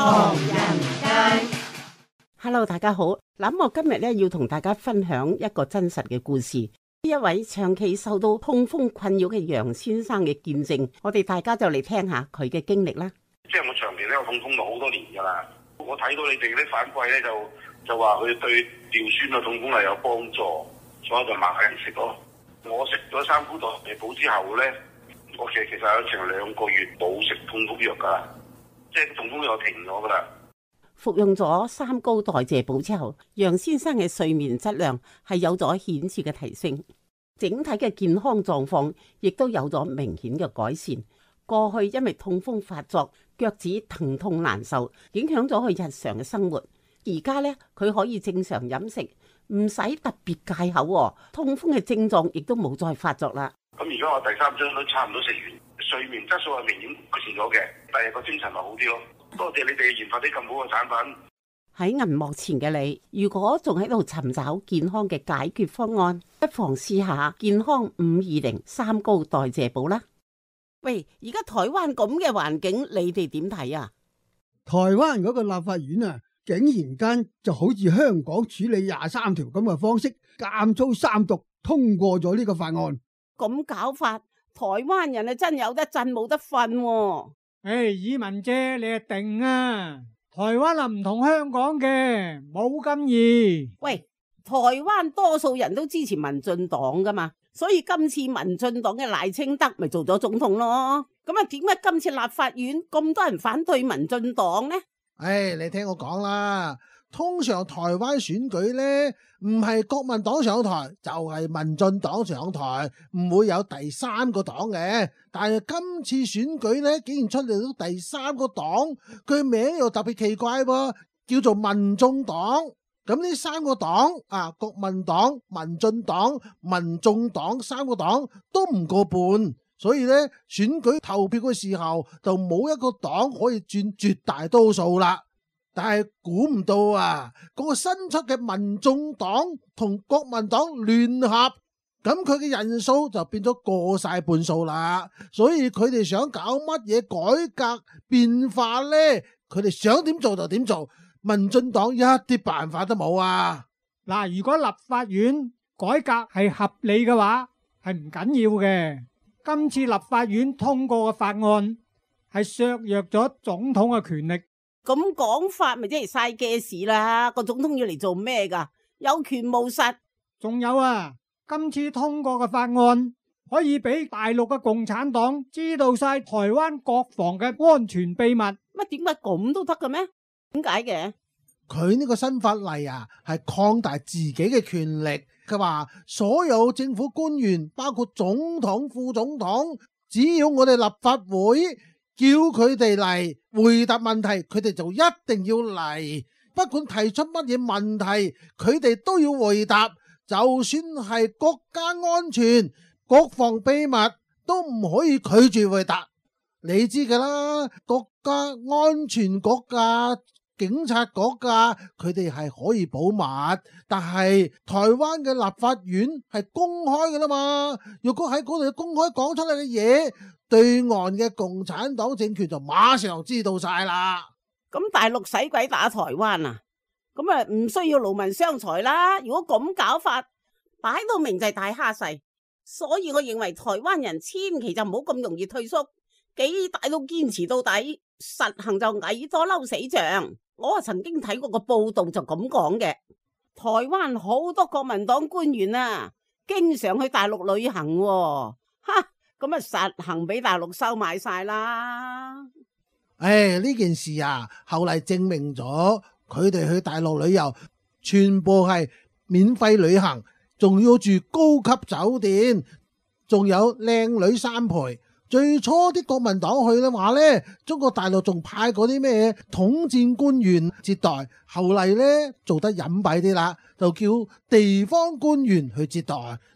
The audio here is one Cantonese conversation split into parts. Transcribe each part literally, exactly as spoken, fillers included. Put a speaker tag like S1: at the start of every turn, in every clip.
S1: 唐人街。
S2: Hello， 大家好。咁我今日咧要同大家分享一個真實嘅故事。一位長期受到痛風困擾嘅楊先生嘅見證，我哋大家就嚟聽下佢嘅經歷啦。
S3: 即係我長期咧有痛風到好多年噶啦，我睇到你哋啲反饋咧就就話佢對尿酸啊痛風係有幫助，所以就買嚟食咯。我食咗三菇代謝寶之後咧，我其實其實有成兩個月冇食痛風藥噶啦，即係痛風藥停咗噶啦。
S2: 服用咗三高代謝寶之後，楊先生嘅睡眠質量係有咗顯著嘅提升，整體嘅健康狀況亦都有咗明顯嘅改善。過去因為痛風發作，腳趾疼痛難受，影響咗佢日常嘅生活。而家咧，佢可以正常飲食，唔使特別戒口，痛風嘅症狀亦都冇再發作啦。
S3: 咁而家我第三針都差唔多食完，睡眠質素係明顯改善咗嘅，第二個精神咪好啲咯。多謝你哋研發啲咁好嘅產品。
S2: 喺銀幕前嘅你，如果仲喺度尋找健康嘅解決方案，不妨試下健康五二零三高代謝寶啦。喂，而家台灣咁嘅環境，你哋點睇啊？
S4: 台灣嗰個立法院啊，竟然間就好似香港處理廿三條咁嘅方式，監粗三讀通過咗呢個法案。
S2: 咁搞法，台灣人啊真有得震冇得瞓喎。
S5: 誒，爾文姐，你係定啊！台灣啊唔同香港嘅，冇咁易。
S2: 喂，台灣多數人都支持民進黨噶嘛，所以今次民進黨嘅賴清德咪做咗總統咯。咁啊，點解今次立法院咁多人反對民進黨呢？
S6: 唉，你聽我講啦。通常台灣選舉呢，唔係國民黨上台，就係民進黨上台，唔會有第三個黨嘅。但係今次選舉呢，竟然出嚟到第三個黨，佢名又特別奇怪喎，叫做民眾黨。咁呢三個黨啊，國民黨、民進黨、民眾黨三個黨都唔過半，所以呢，選舉投票嘅時候就冇一個黨可以佔絕大多數啦。但係估唔到啊，嗰個新出嘅民眾黨同國民黨聯合，咁佢嘅人數就變咗過晒半數啦。所以佢哋想搞乜嘢改革變化呢？佢哋想點做就點做，民進黨一啲辦法都冇啊！
S5: 嗱，如果立法院改革係合理嘅話，係唔緊要嘅。今次立法院通過嘅法案係削弱咗總統嘅權力。
S2: 咁講法咪即係嘥嘅事啦！個總統要嚟做咩噶？有權無實。
S5: 仲有啊，今次通過嘅法案可以俾大陸嘅共產黨知道晒台灣國防嘅安全秘密。
S2: 乜點解咁都得嘅咩？點解嘅？
S6: 佢呢個新法例啊，係擴大自己嘅權力。佢話所有政府官員，包括總統、副總統，只要我哋立法會叫佢哋嚟回答問題，佢哋就一定要嚟，不管提出乜嘢問題，佢哋都要回答。就算係國家安全、國防秘密，都唔可以拒絕回答。你知㗎啦，國家安全、國家警察、國家，佢哋係可以保密，但係台灣嘅立法院係公開㗎啦嘛。如果喺嗰度公開講出嚟嘅嘢，對岸嘅共產黨政權就馬上知道晒啦。
S2: 咁大陸使鬼打台灣啊？咁啊唔需要勞民傷財啦。如果咁搞法，擺到明就係大蝦細。所以我認為台灣人千祈就唔好咁容易退縮，幾大都堅持到底，實行就蟻多嬲死象。我啊曾經睇過個報道就咁講嘅，台灣好多國民黨官員啊，經常去大陸旅行喎，哈！咁啊，實行俾大陸收買晒啦！
S6: 唉，呢件事啊，後嚟證明咗佢哋去大陸旅遊，全部係免費旅行，仲要住高級酒店，仲有靚女三陪。最初啲國民黨去嘅話呢，中國大陸仲派過啲咩統戰官員接待，後嚟呢做得隱蔽啲啦，就叫地方官員去接待，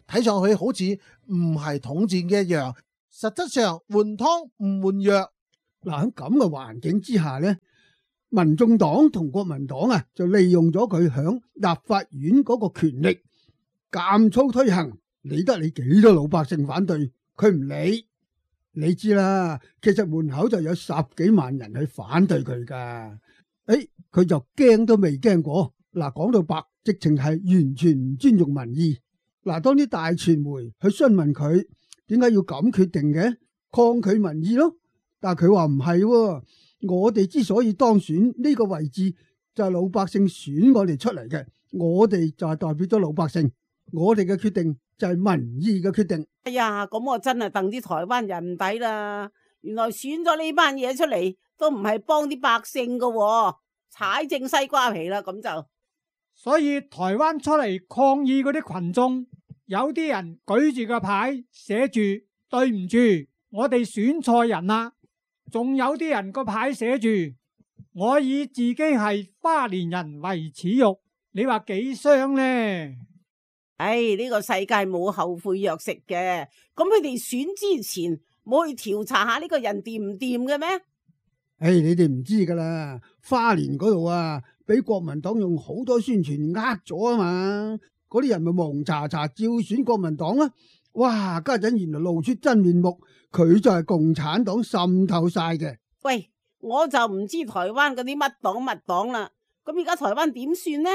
S6: 睇上去好似唔係統戰嘅一樣，實質上換湯唔換藥。
S4: 嗱，喺咁嘅環境之下呢，民眾黨同國民黨啊，就利用咗佢響立法院嗰個權力，監粗推行，理得你幾多老百姓反對，佢唔理。你知啦，其實門口就有十幾萬人去反對佢噶，誒，佢就驚都未驚過。嗱，講到白，直情係完全唔尊重民意。嗱，當啲大傳媒去詢問佢點解要咁決定嘅，抗拒民意咯。但係佢話唔係，我哋之所以當選呢個位置，就係老百姓選我哋出嚟嘅，我哋就係代表咗老百姓，我哋嘅決定就係民意嘅決定。
S2: 哎呀，咁我真係戥啲台灣人唔抵啦！原來選咗呢班嘢出嚟，都唔係幫啲百姓噶，踩正西瓜皮啦，咁就。
S5: 所以台灣出嚟抗議嗰啲群眾，有啲人舉住個牌寫住對唔住，我哋選錯人啦。仲有啲人個牌寫住我以自己係花蓮人為恥辱，你話幾傷呢？
S2: 唉，呢個世界冇後悔藥食嘅，咁佢哋選之前冇去調查下呢個人掂唔掂嘅咩？
S4: 唉，你哋唔知噶啦，花蓮嗰度啊，俾國民黨用好多宣傳呃咗啊嘛，嗰啲人咪蒙查查照選國民黨啦。哇，家陣原來露出真面目，佢就係共產黨滲透晒嘅。
S2: 喂，我就唔知台灣嗰啲乜黨乜黨啦，咁而家台灣點算呢？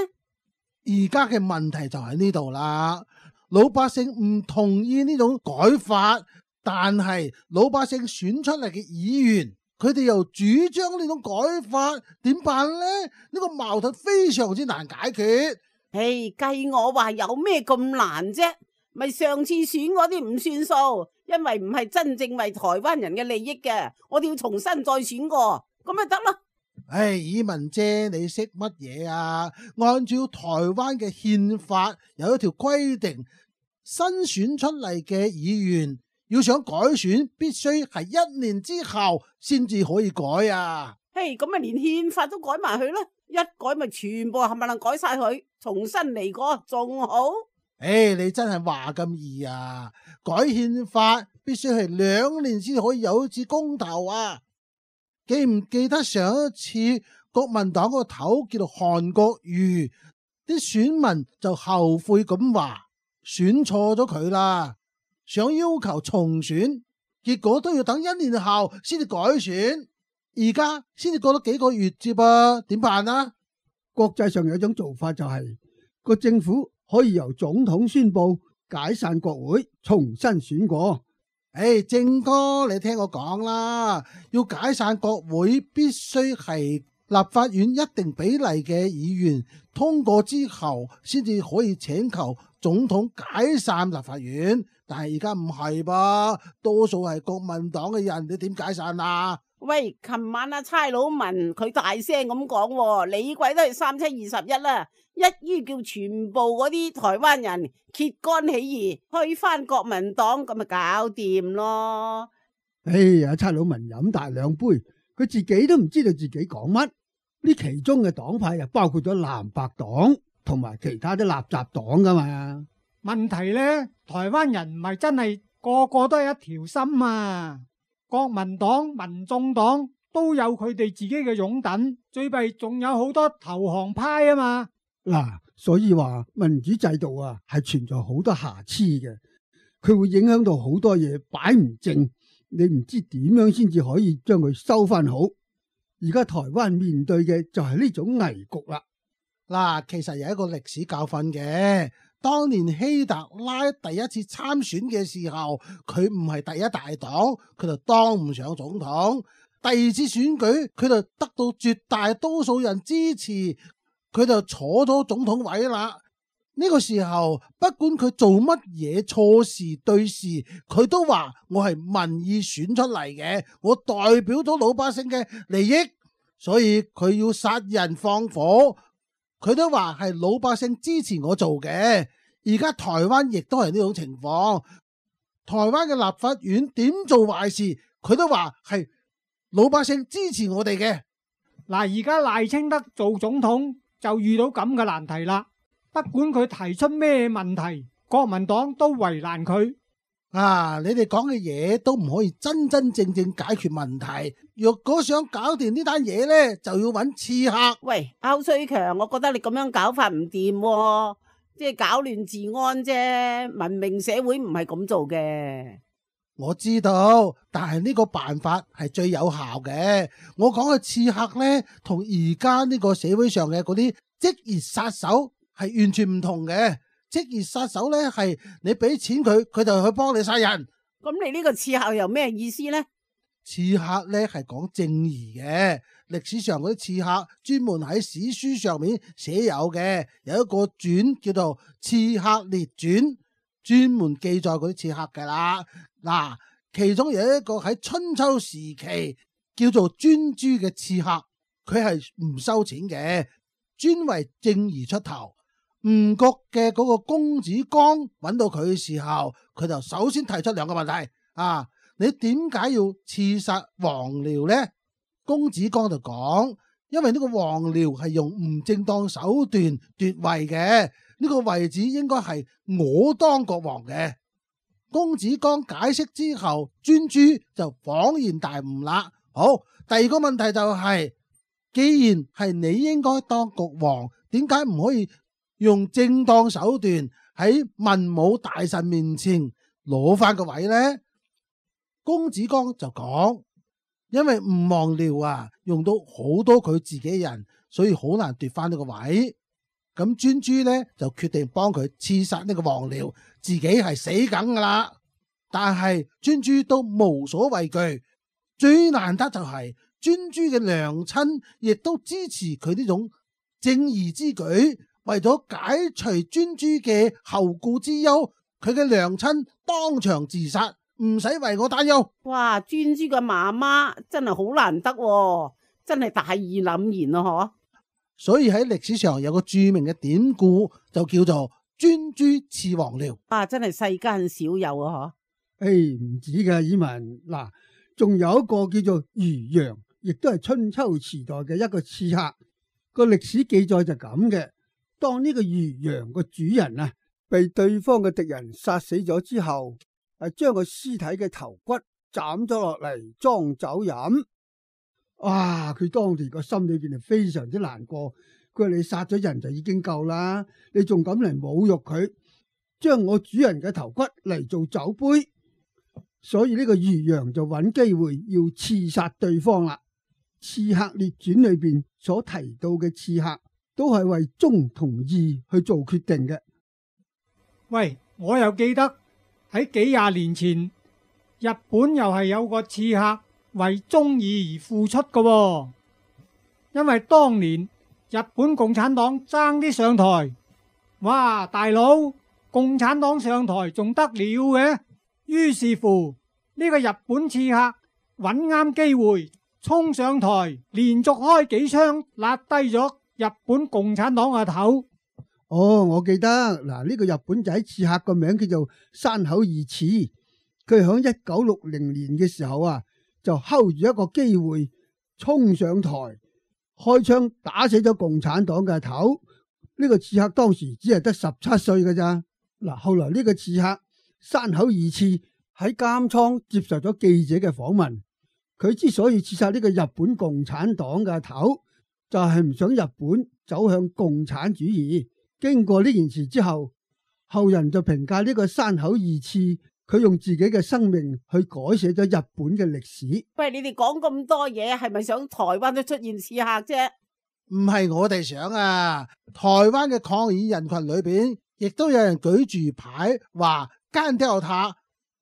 S6: 而家嘅問題就喺呢度啦，老百姓唔同意呢種改法，但係老百姓選出嚟嘅議員，佢哋又主張呢種改法，點辦呢？呢個矛盾非常之難解決。
S2: 唉，計我話有咩咁難啫？咪上次選嗰啲唔算數，因為唔係真正為台灣人嘅利益嘅，我哋要重新再選過，咁咪得咯。
S6: 唉，以文姐，你識乜嘢啊？按照台灣嘅憲法有一條規定，新選出嚟嘅議員要想改選，必須係一年之後先至可以改啊。
S2: 嘿，咁咪連憲法都改埋佢咯，一改咪全部冚唪唥改晒佢，重新嚟過仲好。
S6: 唉，你真係話咁易啊？改憲法必須係兩年先可以有一次公投啊！記唔記得上一次國民黨個頭叫做韓國瑜，啲選民就後悔咁話選錯咗佢啦，想要求重選，結果都要等一年後先至改選，而家先至過咗幾個月啫噃，點辦啊？
S4: 國際上有一種做法就係個政府可以由總統宣布解散國會，重新選過。
S6: 誒，正哥，你聽我講啦，要解散國會，必須係立法院一定比例嘅議員通過之後，先至可以請求總統解散立法院。但係而家唔係噃，多數係國民黨嘅人，你點解散啊？
S2: 喂，琴晚阿差佬問佢大聲咁講，你鬼都係三七二十一啦，一於叫全部嗰啲台灣人揭竿起義，推翻國民黨，咁咪搞掂咯。
S4: 哎呀，差佬文飲大兩杯，佢自己都唔知道自己講乜。呢其中嘅黨派又包括咗藍白黨同埋其他啲垃圾黨噶嘛。
S5: 問題呢，台灣人唔係真係個個都係一條心啊。國民黨、民眾黨都有佢哋自己嘅擁躉，最弊仲有好多投降派啊嘛。
S4: 嗱，所以話民主制度啊係存在好多瑕疵嘅，佢會影響到好多嘢擺唔正，你唔知點樣先至可以將佢收翻好。而家台灣面對嘅就係呢種危局啦。
S6: 嗱，其實有一個歷史教訓嘅。當年希特拉第一次參選嘅時候，佢唔係第一大黨，佢就當唔上總統。第二次選舉，佢就得到絕大多數人支持，佢就坐咗總統位啦。呢個時候，不管佢做乜嘢錯事對事，佢都話我係民意選出嚟嘅，我代表咗老百姓嘅利益，所以佢要殺人放火。佢都話係老百姓支持我做嘅，而家台灣亦都係呢種情況。台灣嘅立法院點做壞事，佢都話係老百姓支持我哋嘅。
S5: 嗱，而家賴清德做總統就遇到咁嘅難題啦。不管佢提出咩問題，國民黨都為難佢。
S6: 啊！你哋講嘅嘢都唔可以真真正正解決問題。若果想搞掂呢單嘢呢，就要揾刺客。
S2: 喂，歐瑞強，我覺得你咁樣搞法唔掂喎，即係搞亂治安啫。文明社會唔係咁做嘅。
S6: 我知道，但係呢個辦法係最有效嘅。我講嘅刺客呢，同而家呢個社會上嘅嗰啲職業殺手係完全唔同嘅。職業殺手呢，係你俾錢佢，佢就去幫你殺人。
S2: 咁你呢個刺客又咩意思呢？
S6: 刺客呢係講正義嘅。歷史上嗰啲刺客專門喺史書上面寫有嘅，有一個傳叫做《刺客列傳》，專門記載嗰啲刺客噶啦。嗱，其中有一個喺春秋時期叫做專諸嘅刺客，佢係唔收錢嘅，專為正義出頭。吳國嘅嗰個公子光揾到佢嘅時候，佢就首先提出兩個問題啊，你點解要刺殺王僚呢？公子光就講，因為呢個王僚係用唔正當手段奪位嘅，呢個位置應該係我當國王嘅。公子光解釋之後，專諸就恍然大悟啦。好，第二個問題就係，既然係你應該當國王，點解唔可以用正當手段喺文武大臣面前攞翻個位呢？公子光就講，因為吳王僚啊，用到好多佢自己人，所以好難奪翻呢個位。咁專諸呢就決定幫佢刺殺呢個王僚，自己係死梗噶啦。但係專諸都無所畏懼，最難得就係專諸嘅娘親亦都支持佢呢種正義之舉，為咗解除專諸嘅後顧之憂，佢嘅娘親當場自殺，唔使為我擔憂。
S2: 哇！專諸嘅媽媽真係好難得喎，真係大義凜然咯，嗬！
S6: 所以喺歷史上有個著名嘅典故，就叫做專諸刺王僚。
S2: 啊，真係世間少有啊！
S4: 嗬，誒，唔止嘅，以文嗱，仲有一個叫做漁陽，亦都係春秋時代嘅一個刺客。個歷史記載就咁嘅，當呢個漁陽個主人啊，被對方嘅敵人殺死咗之後，係將個屍體嘅頭骨斬咗落嚟裝酒飲。哇！佢當時個心裏邊係非常之難過。佢話你殺咗人就已經夠啦，你仲敢嚟侮辱佢，將我主人嘅頭骨嚟做酒杯。所以呢個漁陽就揾機會要刺殺對方啦。刺客列傳裏邊所提到嘅刺客，都係為忠同義去做決定嘅。
S5: 喂，我又記得喺幾廿年前，日本又係有個刺客為忠義而付出嘅喎。因為當年日本共產黨爭啲上台，哇，大佬，共產黨上台仲得了嘅？於是乎呢個日本刺客揾啱機會衝上台，連續開幾槍，揦低咗日本共產黨嘅頭。
S4: 哦，我記得嗱，呢個日本仔刺客個名叫做山口義次，佢響一九六零年嘅時候啊，就睺住一個機會衝上台，開槍打死咗共產黨嘅頭。呢個刺客當時只係得十七歲㗎咋。嗱，後來呢個刺客山口義次喺監倉接受咗記者嘅訪問，佢之所以刺殺呢個日本共產黨嘅頭，就係唔想日本走向共產主義。經過呢件事之後，後人就評價呢個山口義次，佢用自己嘅生命去改寫咗日本嘅歷史。
S2: 喂，你哋講咁多嘢，係咪想台灣都出現刺客啫？
S6: 唔係我哋想啊，台灣嘅抗議人群裏邊，亦都有人舉住牌話幹掉他。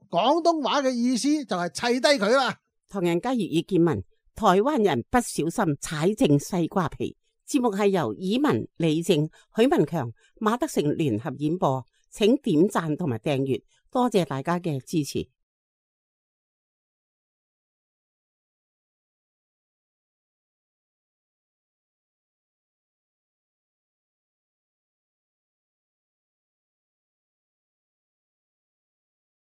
S6: 廣東話嘅意思就係砌低佢啦。
S2: 唐人街粵語見聞，台灣人不小心踩正西瓜皮。節目係由以文、李正、許文強、馬德成聯合演播，請點讚同埋訂閱，多謝大家嘅支持。